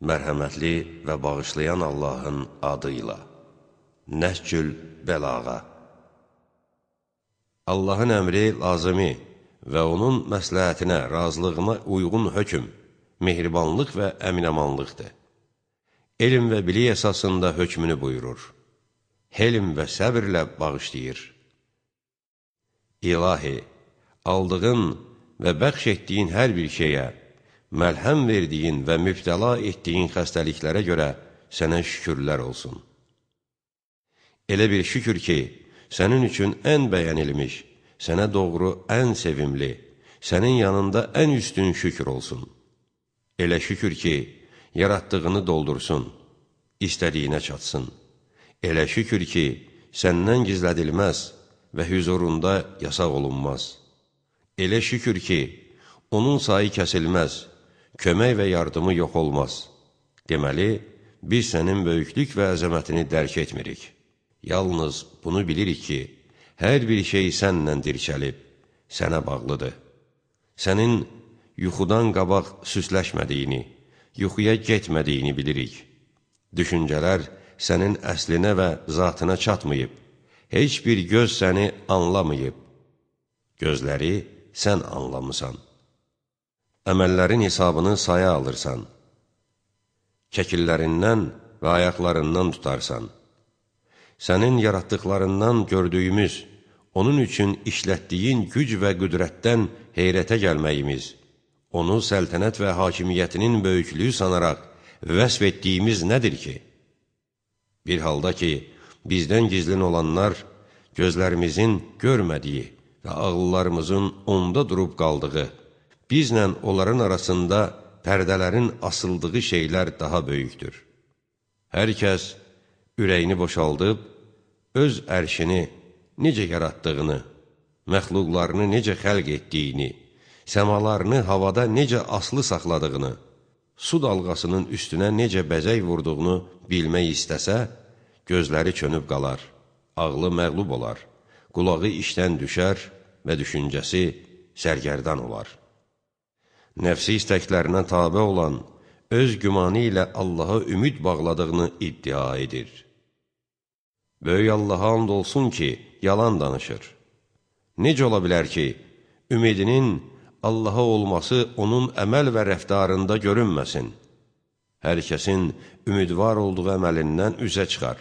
Mərhəmətli və bağışlayan Allahın adıyla. Nəhcül Bəlağa. Allahın əmri lazımi və onun məsləhətinə, razılığına uyğun hökm, mehribanlıq və əminəmanlıqdır. Elm və bilik əsasında hökmünü buyurur. Helm və səbirlə bağışlayır. İlahi, aldığın və bəxş etdiyin hər bir şeyə, məlhəm verdiyin və mübtəla etdiyin xəstəliklərə görə sənə şükürlər olsun. Elə bir şükür ki, sənin üçün ən bəyənilmiş, sənə doğru ən sevimli, sənin yanında ən üstün şükür olsun. Elə şükür ki, yaratdığını doldursun, istədiyinə çatsın. Elə şükür ki, səndən gizlədilməz və hüzurunda yasaq olunmaz. Elə şükür ki, onun sayı kəsilməz, kömək və yardımı yox olmaz. Deməli, biz sənin böyüklük və əzəmətini dərk etmirik. Yalnız bunu bilirik ki, hər bir şey sənlə dirçəlib, sənə bağlıdır. Sənin yuxudan qabaq süsləşmədiyini, yuxuya getmədiyini bilirik. Düşüncələr sənin əslinə və zatına çatmayıb, heç bir göz səni anlamayıb. Gözləri sən anlamısan. Əməllərin hesabını saya alırsan. Kəkillərindən və ayaqlarından tutarsan. Sənin yaratdıqlarından gördüyümüz, onun üçün işlətdiyin güc və qüdrətdən heyrətə gəlməyimiz, onu səltənət və hakimiyyətinin böyüklüyü sanaraq vəsf etdiyimiz nədir ki? Bir halda ki, bizdən gizlin olanlar, gözlərimizin görmədiyi və ağıllarımızın onda durub qaldığı, bizlə onların arasında pərdələrin asıldığı şeylər daha böyükdür. Hər kəs ürəyini boşaldıb, öz ərşini necə yaratdığını, məxluqlarını necə xəlq etdiyini, səmalarını havada necə aslı saxladığını, su dalğasının üstünə necə bəzək vurduğunu bilmək istəsə, gözləri çönüb qalar, ağlı məğlub olar, qulağı işdən düşər və düşüncəsi sərgərdan olar. Nəfsi istəklərinə tabe olan, öz gümanı ilə Allaha ümid bağladığını iddia edir. Böyük Allaha and olsun ki, yalan danışır. Necə ola bilər ki, ümidinin Allaha olması onun əməl və rəftarında görünməsin? Hər kəsin ümidvar olduğu əməlindən üzə çıxar.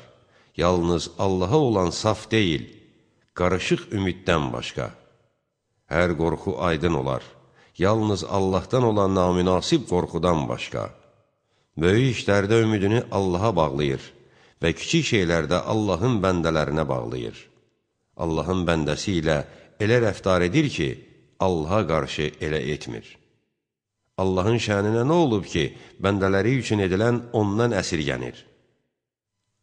Yalnız Allaha olan saf deyil, qarışıq ümiddən başqa. Hər qorxu aydın olar. Yalnız Allahdan olan namünasib qorxudan başqa. Böyük işlərdə ümidini Allaha bağlayır və kiçik şeylərdə Allahın bəndələrinə bağlayır. Allahın bəndəsi ilə elə rəftar edir ki, Allaha qarşı elə etmir. Allahın şəninə nə olub ki, bəndələri üçün edilən ondan əsirgənir?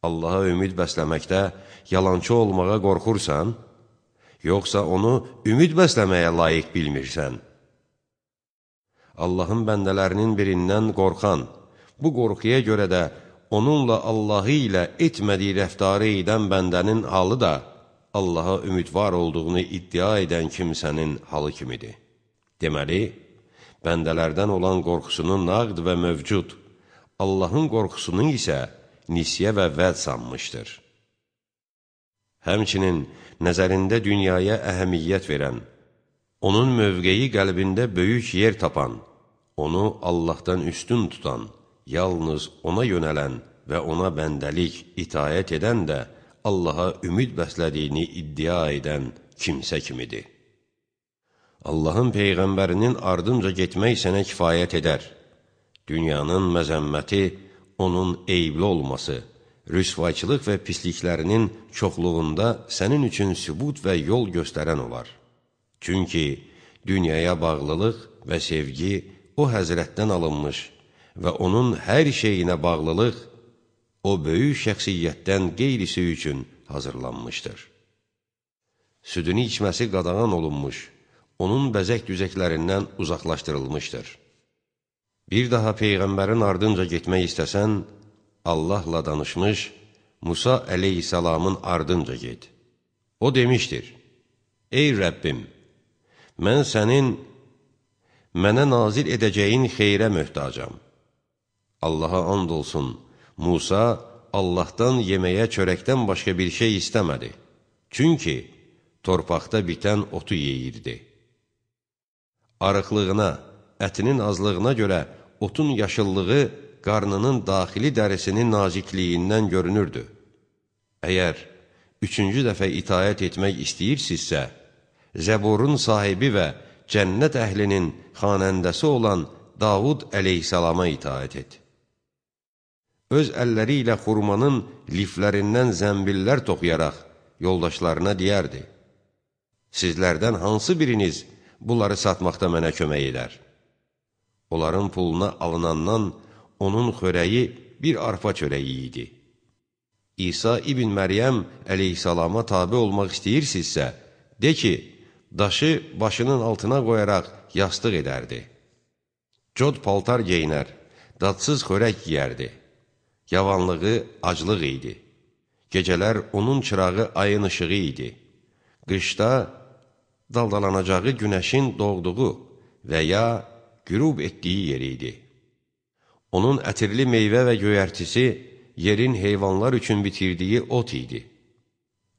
Allaha ümid bəsləməkdə yalancı olmağa qorxursan, yoxsa onu ümid bəsləməyə layiq bilmirsən? Allahın bəndələrinin birindən qorxan, bu qorxuya görə də onunla Allahı ilə etmədiyi rəftarı edən bəndənin halı da Allaha ümidvar olduğunu iddia edən kimsənin halı kimidir. Deməli, bəndələrdən olan qorxusunun naqd və mövcud, Allahın qorxusunun isə nisyə və vəd sanmışdır. Həmçinin nəzərində dünyaya əhəmiyyət verən, onun mövqeyi qəlbində böyük yer tapan, onu Allahdan üstün tutan, yalnız ona yönələn və ona bəndəlik, itaət edən də Allaha ümid bəslədiyini iddia edən kimsə kimidir. Allahın Peyğəmbərinin ardınca getmək sənə kifayət edər. Dünyanın məzəmməti, onun eyibli olması, rüsvayçılıq və pisliklərinin çoxluğunda sənin üçün sübut və yol göstərən olar. Çünki dünyaya bağlılıq və sevgi o həzrətdən alınmış və onun hər şeyinə bağlılıq o böyük şəxsiyyətdən qeyrisi üçün hazırlanmışdır. Südünü içməsi qadağan olunmuş, onun bəzək-düzəklərindən uzaqlaşdırılmışdır. Bir daha Peyğəmbərin ardınca getmək istəsən, Allahla danışmış Musa əleyhissalamın ardınca get. O demişdir, ey Rəbbim, mən sənin mənə nazil edəcəyin xeyrə möhtacam. Allaha and olsun, Musa Allahdan yeməyə çörəkdən başqa bir şey istəmədi. Çünki torpaqda bitən otu yeyirdi. Arıqlığına, ətinin azlığına görə otun yaşıllığı qarnının daxili dərisinin nazikliyindən görünürdü. Əgər üçüncü dəfə itayət etmək istəyirsinizsə, Zəburun sahibi və cənnət əhlinin xanəndəsi olan Davud əleyhissalama itaət et. Öz əlləri ilə xurmanın liflərindən zəmbillər toxuyaraq yoldaşlarına deyərdi: Sizlərdən hansı biriniz bunları satmaqda mənə kömək edər? Onların puluna alınandan onun xörəyi bir arpa çörəyi idi. İsa ibn Məryəm əleyhissalama tabi olmaq istəyirsinizsə, de ki, daşı başının altına qoyaraq yastıq edərdi. Cod paltar geyinər, dadsız xörək yiyərdi. Yavanlığı aclıq idi. Gecələr onun çırağı ayın ışığı idi. Qışda daldalanacağı günəşin doğduğu və ya qürub etdiyi yer idi. Onun ətirli meyvə və göyərtisi yerin heyvanlar üçün bitirdiyi ot idi.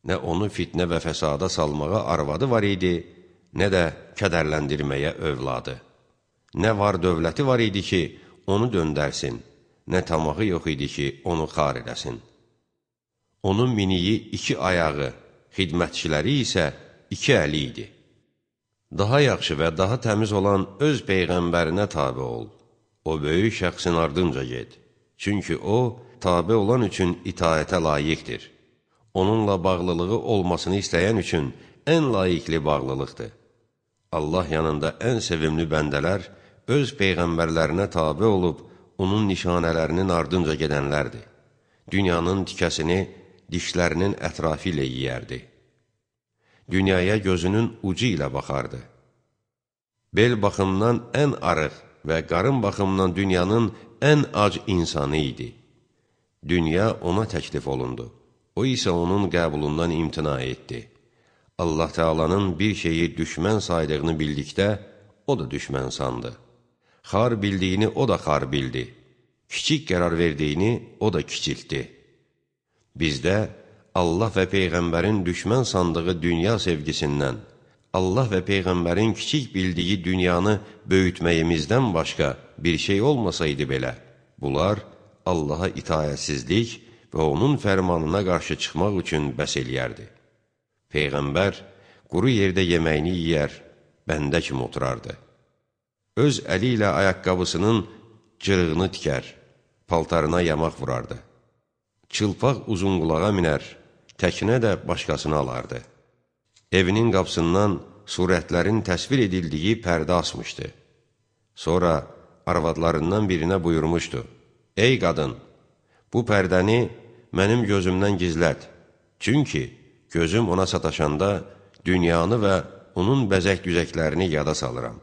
Nə onu fitnə və fəsada salmağa arvadı var idi, nə də kədərləndirməyə övladı. Nə var dövləti var idi ki, onu döndərsin, nə tamağı yox idi ki, onu xar edəsin. Onun miniyi 2 ayağı, xidmətçiləri isə 2 əli idi. Daha yaxşı və daha təmiz olan öz peyğəmbərinə tabi ol. O böyük şəxsin ardınca get. Çünki o, tabi olan üçün itaətə layiqdir. Onunla bağlılığı olmasını istəyən üçün ən layiqli bağlılıqdır. Allah yanında ən sevimli bəndələr öz peyğəmbərlərinə tabi olub, onun nişanələrinin ardınca gedənlərdir. Dünyanın tikəsini dişlərinin ətrafı ilə yiyərdi. Dünyaya gözünün ucu ilə baxardı. Bel baxımdan ən arıq və qarın baxımdan dünyanın ən ac insanı idi. Dünya ona təklif olundu. O isə onun qəbulundan imtina etdi. Allah Teala'nın bir şeyi düşmən saydığını bildikdə, o da düşmən sandı. Xar bildiyini o da xar bildi. Kiçik qərar verdiyini o da kiçiltdi. Bizdə Allah və Peyğəmbərin düşmən sandığı dünya sevgisindən, Allah və Peyğəmbərin kiçik bildiyi dünyanı böyütməyimizdən başqa bir şey olmasaydı belə, bunlar Allaha itayətsizlik və onun fərmanına qarşı çıxmaq üçün bəs eləyərdi. Peyğəmbər quru yerdə yeməyini yiyər, bəndə kimi oturardı. Öz əli ilə ayaqqabısının cırığını tikər, paltarına yamaq vurardı. Çılpaq uzunqulağa minər, təkinə də başqasını alardı. Evinin qapısından surətlərin təsvir edildiyi pərdə asmışdı. Sonra arvadlarından birinə buyurmuşdu: Ey qadın, bu pərdəni mənim gözümdən gizlət. Çünki gözüm ona sataşanda dünyanı və onun bəzək-düzəklərini yada salıram.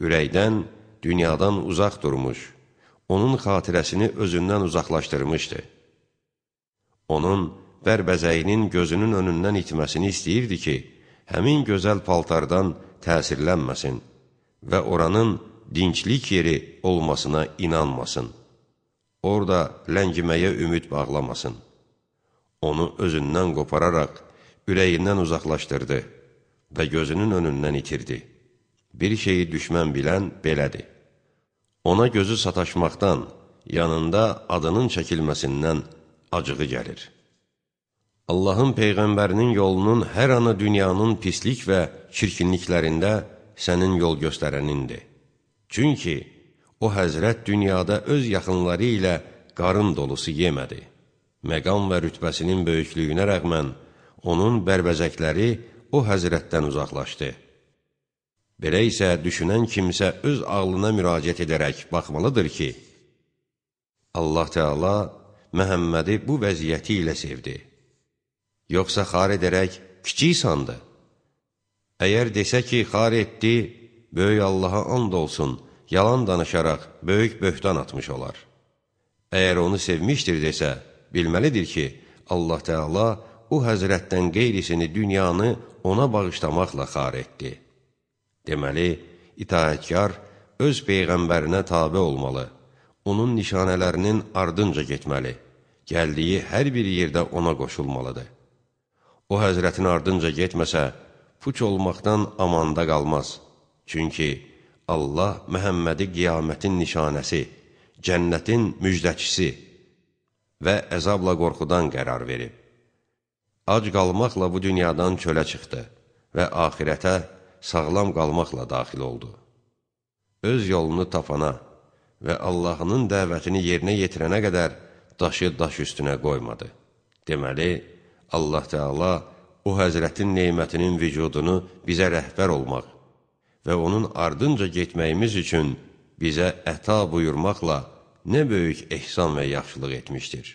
Ürəkdən, dünyadan uzaq durmuş, onun xatirəsini özündən uzaqlaşdırmışdı. Onun bərbəzəyinin gözünün önündən itməsini istəyirdi ki, həmin gözəl paltardan təsirlənməsin və oranın dinclik yeri olmasına inanmasın. Orada ləngiməyə ümid bağlamasın. Onu özündən qopararaq ürəyindən uzaqlaşdırdı və gözünün önündən itirdi. Bir şeyi düşmən bilən belədir. Ona gözü sataşmaqdan, yanında adının çəkilməsindən acığı gəlir. Allahın Peyğəmbərinin yolunun hər anı dünyanın pislik və çirkinliklərində sənin yol göstərənindir. Çünki o həzrət dünyada öz yaxınları ilə qarın dolusu yemədi. Məqam və rütbəsinin böyüklüyünə rəğmən onun bərbəzəkləri o həzrətdən uzaqlaşdı. Belə isə düşünən kimsə öz ağlına müraciət edərək baxmalıdır ki, Allah Teala Məhəmmədi bu vəziyyəti ilə sevdi. Yoxsa xar edərək kiçik sandı. Əgər desə ki, xar etdi, böyük Allaha and olsun, yalan danışaraq böyük böhtan atmış olar. Əgər onu sevmişdir desə, bilməlidir ki, Allah Teala o həzrətdən qeyrisini dünyanı ona bağışlamaqla xar etdi. Deməli, itaətkar öz Peyğəmbərinə tabe olmalı, onun nişanələrinin ardınca getməli, gəldiyi hər bir yerdə ona qoşulmalıdır. O həzrətin ardınca getməsə, puç olmaqdan amanda qalmaz. Çünki Allah Məhəmmədi qiyamətin nişanəsi, cənnətin müjdəçisi və əzabla qorxudan qərar verib. Ac qalmaqla bu dünyadan çölə çıxdı və axirətə sağlam qalmaqla daxil oldu. Öz yolunu tapana və Allahının dəvətini yerinə yetirənə qədər daşı daş üstünə qoymadı. Deməli, Allah Teala o həzrətin neymətinin vücudunu bizə rəhbər olmaq və onun ardınca getməyimiz üçün bizə əta buyurmaqla nə böyük ehsan və yaxşılıq etmişdir.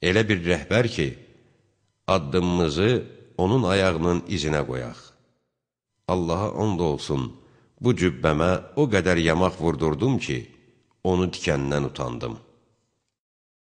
Elə bir rəhbər ki, addımımızı onun ayağının izinə qoyaq. Allaha and olsun, bu cübbəmə o qədər yamaq vurdurdum ki, onu tikəndən utandım.